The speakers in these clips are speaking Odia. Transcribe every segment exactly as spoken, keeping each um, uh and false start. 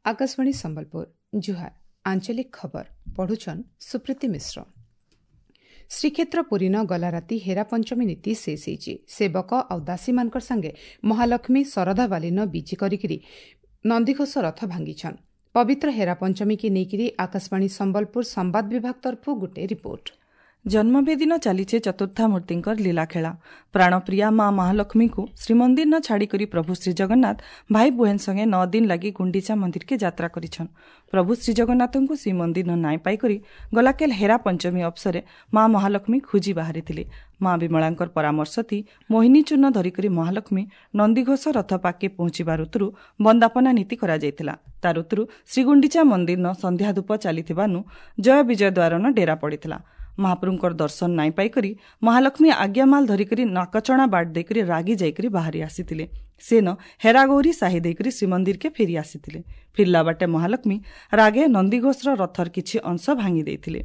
ଆକାଶବାଣୀ ସମ୍ବଲପୁର ଜୁହାର ଆଞ୍ଚଳିକ ଖବର ପଢୁଛନ୍ ସୁପ୍ରୀତି ମିଶ୍ର ଶ୍ରୀକ୍ଷେତ୍ର ପୁରୀନ ଗଲା ରାତି ହେରା ପଞ୍ଚମୀ ନୀତି ଶେଷ ହେଇଛି ସେବକ ଆଉ ଦାସୀମାନଙ୍କର ସାଙ୍ଗେ ମହାଲକ୍ଷ୍ମୀ ଶରଧାବାଲିନ ବିଜି କରିକିରି ନନ୍ଦିଘୋଷ ରଥ ଭାଙ୍ଗିଛନ୍ ପବିତ୍ର ହେରା ପଞ୍ଚମୀକି ନେଇକିରି ଆକାଶବାଣୀ ସମ୍ବଲପୁର ସମ୍ବାଦ ବିଭାଗ ତରଫରୁ ଗୋଟେ ରିପୋର୍ଟ ଜନ୍ମବେଦିନ ଚାଲିଛେ ଚତୁର୍ଦ୍ଧାମୂର୍ତ୍ତିଙ୍କର ଲୀଳାଖେଳା ପ୍ରାଣପ୍ରିୟା ମା ମହାଲକ୍ଷ୍ମୀଙ୍କୁ ଶ୍ରୀମନ୍ଦିର ନ ଛାଡ଼ିକରି ପ୍ରଭୁ ଶ୍ରୀଜଗନ୍ନାଥ ଭାଇ ବୁହେନ୍ ସଙ୍ଗେ ନଅ ଦିନ ଲାଗି ଗୁଣ୍ଡିଚା ମନ୍ଦିରକେ ଯାତ୍ରା କରିଛନ୍ ପ୍ରଭୁ ଶ୍ରୀଜଗନ୍ନାଥଙ୍କୁ ଶ୍ରୀମନ୍ଦିର ନ ନାଇଁ ପାଇକରି ଗଲାକେଲ ହେରା ପଞ୍ଚମୀ ଅବସରେ ମା ମହାଲକ୍ଷ୍ମୀ ଖୋଜି ବାହାରିଥିଲେ ମା ବିମଳାଙ୍କର ପରାମର୍ଶ ଥି ମୋହିନୀ ଚୂର୍ଣ୍ଣ ଧରିକରି ମହାଲକ୍ଷ୍ମୀ ନନ୍ଦିଘୋଷ ରଥ ପାଖେ ପହଞ୍ଚିବା ଋତୁରୁ ବନ୍ଦାପନା ନୀତି କରାଯାଇଥିଲା ତା ଋତୁରୁ ଶ୍ରୀଗୁଣ୍ଡିଚା ମନ୍ଦିର ନ ସନ୍ଧ୍ୟା ଧୂପ ଚାଲିଥିବାନୁ ଜୟ ବିଜୟ ଦ୍ୱାରନ ଡେରା ପଡ଼ିଥିଲା ମହାପ୍ରଭୁଙ୍କର ଦର୍ଶନ ନାଇଁ ପାଇକରି ମହାଲକ୍ଷ୍ମୀ ଆଜ୍ଞାମାଲ ଧରିକରି ନାକଚଣା ବାଟ ଦେଇକରି ରାଗି ଯାଇକରି ବାହାରି ଆସିଥିଲେ ସେନ ହେରାଗୌରୀ ସାହି ଦେଇକରି ଶ୍ରୀମନ୍ଦିରକେ ଫେରି ଆସିଥିଲେ ଫିରିଲା ବାଟେ ମହାଲକ୍ଷ୍ମୀ ରାଗେ ନନ୍ଦିଘୋଷର ରଥର କିଛି ଅଂଶ ଭାଙ୍ଗି ଦେଇଥିଲେ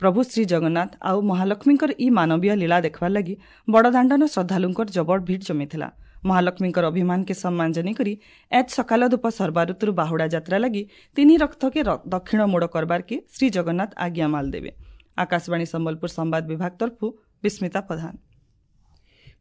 ପ୍ରଭୁ ଶ୍ରୀ ଜଗନ୍ନାଥ ଆଉ ମହାଲକ୍ଷ୍ମୀଙ୍କର ଇ ମାନବୀୟ ଲୀଳା ଦେଖିବାର ଲାଗି ବଡ଼ଦାଣ୍ଡନ ଶ୍ରଦ୍ଧାଳୁଙ୍କର ଜବର ଭିଡ଼ ଜମିଥିଲା ମହାଲକ୍ଷ୍ମୀଙ୍କର ଅଭିମାନକେ ସମ୍ମାନ ଜନେଇକରି ଏଜ୍ ସକାଳ ଧୂପ ସର୍ବା ଋତୁରୁ ବାହୁଡ଼ା ଯାତ୍ରା ଲାଗି ତିନି ରଥକେ ଦକ୍ଷିଣ ମୋଡ଼ କରବାରକେ ଶ୍ରୀ ଜଗନ୍ନାଥ ଆଜ୍ଞାମାଲ ଦେବେ ଆକାଶବାଣୀ ସମ୍ବଲପୁର ସମ୍ବାଦ ବିଭାଗ ତରଫରୁ ବିସ୍ମିତା ପ୍ରଧାନ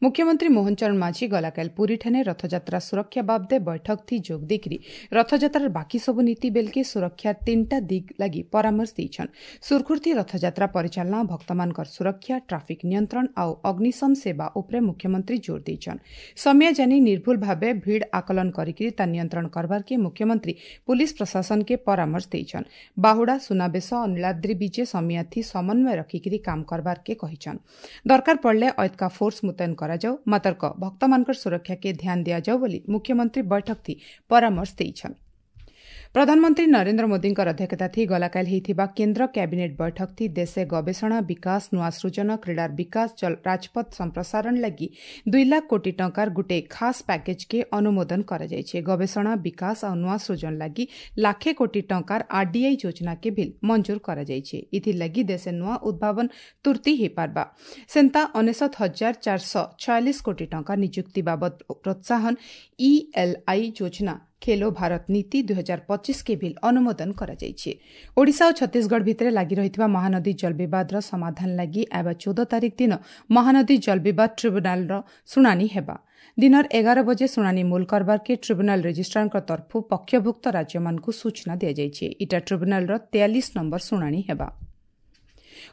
ମୁଖ୍ୟମନ୍ତ୍ରୀ ମୋହନ ଚରଣ ମାଝୀ ଗଲାକାଲି ପୁରୀଠାନେ ରଥଯାତ୍ରା ସୁରକ୍ଷା ବାବଦେ ବୈଠକ ଥି ଯୋଗ ଦେଇକରି ରଥଯାତ୍ରାର ବାକି ସବୁ ନୀତି ବେଲକେ ସୁରକ୍ଷା ତିନିଟା ଦିଗ ଲାଗି ପରାମର୍ଶ ଦେଇଛନ୍ ସୁରଖୁରଥି ରଥଯାତ୍ରା ପରିଚାଳନା ଭକ୍ତମାନଙ୍କର ସୁରକ୍ଷା ଟ୍ରାଫିକ୍ ନିୟନ୍ତ୍ରଣ ଆଉ ଅଗ୍ନିଶମ ସେବା ଉପରେ ମୁଖ୍ୟମନ୍ତ୍ରୀ ଜୋର ଦେଇଛନ୍ ସମୟ ଜାନି ନିର୍ଭୁଲ ଭାବେ ଭିଡ଼ ଆକଳନ କରିକିରି ତା ନିୟନ୍ତ୍ରଣ କରବାରକେ ମୁଖ୍ୟମନ୍ତ୍ରୀ ପୁଲିସ ପ୍ରଶାସନକେ ପରାମର୍ଶ ଦେଇଛନ୍ ବାହୁଡ଼ା ସୁନାବେଶ ଆଉ ନୀଳାଦ୍ରି ବିଜେ ସମିୟାଥି ସମନ୍ୱୟ ରଖିକିରି କାମ କରବାରକେ କହିଛନ୍ ଦରକାର ପଡ଼ିଲେ ଅୟତ୍କା ଫୋର୍ସ ମୁତୟନ କରାଯାଉ ମାତର୍କ ଭକ୍ତମାନଙ୍କର ସୁରକ୍ଷାକେ ଧ୍ୟାନ ଦିଆଯାଉ ବୋଲି ମୁଖ୍ୟମନ୍ତ୍ରୀ ବୈଠକ ଥି ପରାମର୍ଶ ଦେଇଛନ୍ ପ୍ରଧାନମନ୍ତ୍ରୀ ନରେନ୍ଦ୍ର ମୋଦିଙ୍କର ଅଧ୍ୟକ୍ଷତା ଥି ଗଲାକାଲି ହେଇଥିବା କେନ୍ଦ୍ର କ୍ୟାବିନେଟ୍ ବୈଠକ ଥି ଦେଶେ ଗବେଷଣା ବିକାଶ ନୂଆ ସୃଜନ କ୍ରୀଡ଼ାର ବିକାଶ ରାଜପଥ ସମ୍ପ୍ରସାରଣ ଲାଗି ଦୁଇ ଲାଖ କୋଟି ଟଙ୍କାର ଗୁଟେ ଖାସ୍ ପ୍ୟାକେଜ୍କେ ଅନୁମୋଦନ କରାଯାଇଛି ଗବେଷଣା ବିକାଶ ଆଉ ନୂଆ ସୃଜନ ଲାଗି ଲାଖେ କୋଟି ଟଙ୍କାର ଆର୍ଡିଆଇ ଯୋଜନାକେ ବିଲ୍ ମଞ୍ଜୁର କରାଯାଇଛି ଏଥିର୍ଲାଗି ଦେଶେ ନୂଆ ଉଦ୍ଭାବନ ତୁର୍ତି ହେଇପାରବା ସେନ୍ତା ଅନେଶତ ହଜାର ଚାରିଶହ ଛୟାଳିଶ କୋଟି ଟଙ୍କା ନିଯୁକ୍ତି ବାବଦ ପ୍ରୋତ୍ସାହନ ଇଏଲ୍ଆଇ ଯୋଜନା ଖେଲୋ ଭାରତ ନୀତି ଦୁଇ ହଜାର ପଚିଶକେ ବିଲ୍ ଅନୁମୋଦନ କରାଯାଇଛି ଓଡ଼ିଶା ଓ ଛତିଶଗଡ଼ ଭିତରେ ଲାଗି ରହିଥିବା ମହାନଦୀ ଜଳବିବାଦର ସମାଧାନ ଲାଗି ଆଇବା ଚଉଦ ତାରିଖ ଦିନ ମହାନଦୀ ଜଳବିବାଦ ଟ୍ରିବ୍ୟୁନାଲର ଶୁଣାଣି ହେବା ଦିନର ଏଗାର ବଜେ ଶୁଣାଣି ମୂଲ କରବାରକେ ଟ୍ରିବ୍ୟୁନାଲ ରେଜିଷ୍ଟ୍ରାରଙ୍କ ତରଫରୁ ପକ୍ଷଭୁକ୍ତ ରାଜ୍ୟମାନଙ୍କୁ ସୂଚନା ଦିଆଯାଇଛି ଇଟା ଟ୍ରିବ୍ୟୁନାଲର ତେୟାଳିଶ ନମ୍ବର ଶୁଣାଣି ହେବା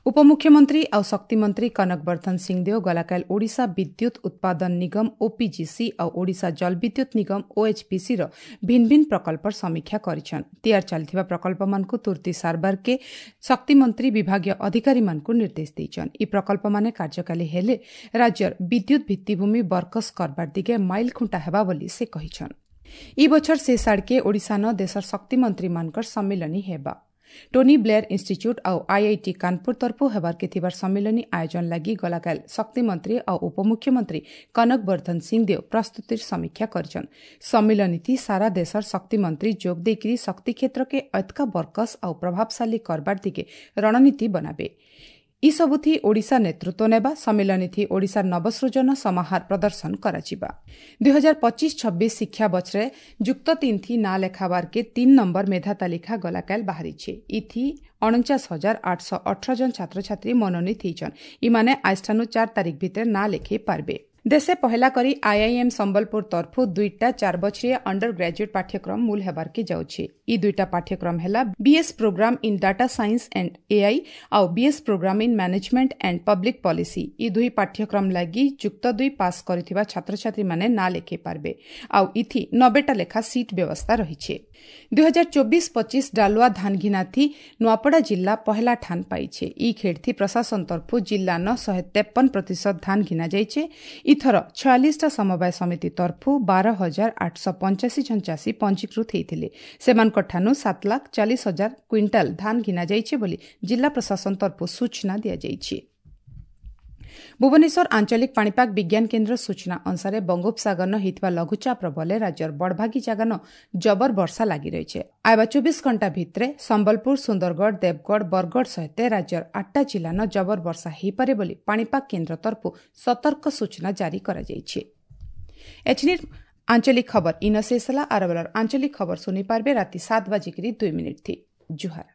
ଉପମୁଖ୍ୟମନ୍ତ୍ରୀ ଆଉ ଶକ୍ତିମନ୍ତ୍ରୀ କନକ ବର୍ଦ୍ଧନ ସିଂଦେଓ ଗଲାକାଲି ଓଡ଼ିଶା ବିଦ୍ୟୁତ୍ ଉତ୍ପାଦନ ନିଗମ ଓପିଜିସି ଆଉ ଓଡ଼ିଶା ଜଳବିଦ୍ୟୁତ୍ ନିଗମ ଓଏଚ୍ପିସିର ଭିନ୍ନ ଭିନ୍ନ ପ୍ରକଳ୍ପର ସମୀକ୍ଷା କରିଛନ୍ ତିଆରି ଚାଲିଥିବା ପ୍ରକଳ୍ପମାନଙ୍କୁ ତୁର୍ତି ସାରବାରକେ ଶକ୍ତିମନ୍ତ୍ରୀ ବିଭାଗୀୟ ଅଧିକାରୀମାନଙ୍କୁ ନିର୍ଦ୍ଦେଶ ଦେଇଛନ୍ ଇ ପ୍ରକଳ୍ପମାନେ କାର୍ଯ୍ୟକାରୀ ହେଲେ ରାଜ୍ୟର ବିଦ୍ୟୁତ୍ ଭିତ୍ତିଭୂମି ବରକସ କରବାର ଦିଗେ ମାଇଲ ଖୁଣ୍ଟା ହେବା ବୋଲି ସେ କହିଛନ୍ ଇ ବଛର ଶେଷ ଆଡ଼କେ ଓଡ଼ିଶାନ ଦେଶର ଶକ୍ତିମନ୍ତ୍ରୀମାନଙ୍କର ସମ୍ମିଳନୀ ହେବା ଟୋନି ବ୍ଲେୟର ଇନ୍ଷ୍ଟିଚ୍ୟୁଟ୍ ଆଉ ଆଇଆଇଟି କାନପୁର ତରଫରୁ ହେବାର୍କେ ଥିବାର ସମ୍ମିଳନୀ ଆୟୋଜନ ଲାଗି ଗଲାକାଲି ଶକ୍ତିମନ୍ତ୍ରୀ ଆଉ ଉପମୁଖ୍ୟମନ୍ତ୍ରୀ କନକ ବର୍ଦ୍ଧନ ସିଂଦେଓ ପ୍ରସ୍ତୁତିର ସମୀକ୍ଷା କରିଛନ୍ ସମ୍ମିଳନୀଥି ସାରା ଦେଶର ଶକ୍ତିମନ୍ତ୍ରୀ ଯୋଗ ଦେଇକରି ଶକ୍ତି କ୍ଷେତ୍ରକେ ଅତ୍କା ବରକସ ଆଉ ପ୍ରଭାବଶାଳୀ କରବାର ଦିଗେ ରଣନୀତି ବନାବେ ଇସବୁଥି ଓଡ଼ିଶା ନେତୃତ୍ୱ ନେବା ସମ୍ମିଳନୀଥି ଓଡ଼ିଶାର ନବସୃଜନ ସମାହାର ପ୍ରଦର୍ଶନ କରାଯିବା ଦୁଇ ହଜାର ପଚିଶ ଛବିଶ ଶିକ୍ଷା ବଛରେ ଯୁକ୍ତ ତିନ୍ଥି ନାଁ ଲେଖାବାର୍କେ ତିନ୍ ନମ୍ବର ମେଧା ତାଲିକା ଗଲାକାଲି ବାହାରିছে ଇଥି ଅଣଚାଶ ହଜାର ଆଠଶହ ଅଠର ଜଣ ଛାତ୍ରଛାତ୍ରୀ ମନୋନୀତ ହେଇଛନ୍ ଇମାନେ ଆଜଠାନୁ ଚାରି ତାରିଖ ଭିତରେ ନାଁ ଲେଖେଇ ପାରବେ ଦେଶେ ପହେଲା କରି ଆଇଆଇଏମ୍ ସମ୍ବଲପୁର ତରଫରୁ ଦୁଇଟା ଚାର ବଛରିଆ ଅଣ୍ଡର ଗ୍ରାଜୁଏଟ୍ ପାଠ୍ୟକ୍ରମ ମୂଲ ହେବାର୍କେ ଯାଉଛି ଇ ଦୁଇଟା ପାଠ୍ୟକ୍ରମ ହେଲା BS programme in data science and AI ଆଉ BS programme in management and public policy ଇ ଦୁଇ ପାଠ୍ୟକ୍ରମ ଲାଗି ଯୁକ୍ତ ଦୁଇ ପାସ୍ କରିଥିବା ଛାତ୍ରଛାତ୍ରୀମାନେ ନାଁ ଲେଖେଇ ପାରବେ ଆଉ ଇଥି ନବେଟା ଲେଖା ସିଟ୍ ବ୍ୟବସ୍ଥା ରହିଛି ଦୁଇ ହଜାର ଚବିଶ ପଚିଶ ଡାଲୁଆ ଧାନ ଘିନାଥି ନୂଆପଡ଼ା ଜିଲ୍ଲା ପହେଲା ଠାନ ପାଇছে ଇ ଖେଡ଼ଥି ପ୍ରଶାସନ ତରଫରୁ ଜିଲ୍ଲାନ ଶହେ ତେପନ ପ୍ରତିଶତ ଧାନ ଘିନା ଯାଇଛେ ଇଥର ଛୟାଳିଶଟା ସମବାୟ ସମିତି ତରଫରୁ ବାର ହଜାର ଆଠଶହ ପଞ୍ଚାଅଶୀ ଜଣ ଚାଷୀ ପଞ୍ଜୀକୃତ ହୋଇଥିଲେ ସେମାନଙ୍କ ଠାନୁ ସାତ ଲାଖ ଚାଳିଶ ହଜାର କ୍ୱିଣ୍ଟାଲ ଧାନ ଘିନା ଯାଇଛି ବୋଲି ଜିଲ୍ଲା ପ୍ରଶାସନ ତରଫରୁ ସୂଚନା ଦିଆଯାଇଛି ଭୁବନେଶ୍ୱର ଆଞ୍ଚଳିକ ପାଣିପାଗ ବିଜ୍ଞାନ କେନ୍ଦ୍ର ସୂଚନା ଅନୁସାରେ ବଙ୍ଗୋପସାଗରନ ହେଇଥିବା ଲଘୁଚାପର ବଲେ ରାଜ୍ୟର ବଡ଼ଭାଗୀ ଜାଗାନ ଜବର ବର୍ଷା ଲାଗି ରହିଛି। ଆଇବା ଚବିଶ ଘଣ୍ଟା ଭିତରେ ସମ୍ବଲପୁର, ସୁନ୍ଦରଗଡ଼, ଦେବଗଡ଼, ବରଗଡ଼ ସହିତ ରାଜ୍ୟର ଆଠଟା ଜିଲ୍ଲାନ ଜବର ବର୍ଷା ହୋଇପାରେ ବୋଲି ପାଣିପାଗ କେନ୍ଦ୍ର ତରଫରୁ ସତର୍କ ସୂଚନା ଜାରି କରାଯାଇଛି। ଏଛିନିର ଆଞ୍ଚଳିକ ଖବର ଇନ ଶେଷ ହେଲା। ଆର ବେଳର ଆଞ୍ଚଳିକ ଖବର ଶୁଣିପାରିବେ ରାତି ସାତ ବାଜିକିରି ଦୁଇ ମିନିଟ୍ ଥି। ଜୁହାର।